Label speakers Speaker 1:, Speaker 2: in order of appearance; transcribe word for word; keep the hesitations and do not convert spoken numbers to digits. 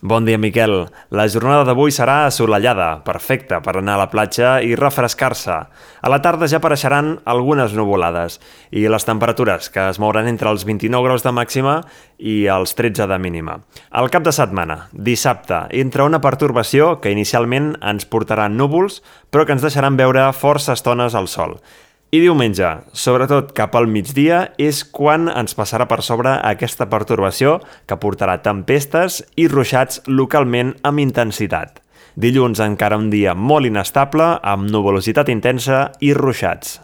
Speaker 1: Bon dia, Miquel. La jornada d'avui serà assolellada, perfecta per anar a la platja i refrescar-se. A la tarda ja apareixeran algunes nuvolades i les temperatures, que es mouran entre els vint-i-nou graus de màxima i els tretze de mínima. Al cap de setmana, dissabte, entra una pertorbació que inicialment ens portarà núvols, però que ens deixaran veure força estones al sol. I diumenge, sobretot cap al migdia, és quan ens passarà per sobre aquesta pertorbació que portarà tempestes i ruixats localment amb intensitat. Dilluns encara un dia molt inestable, amb nuvolositat intensa i ruixats.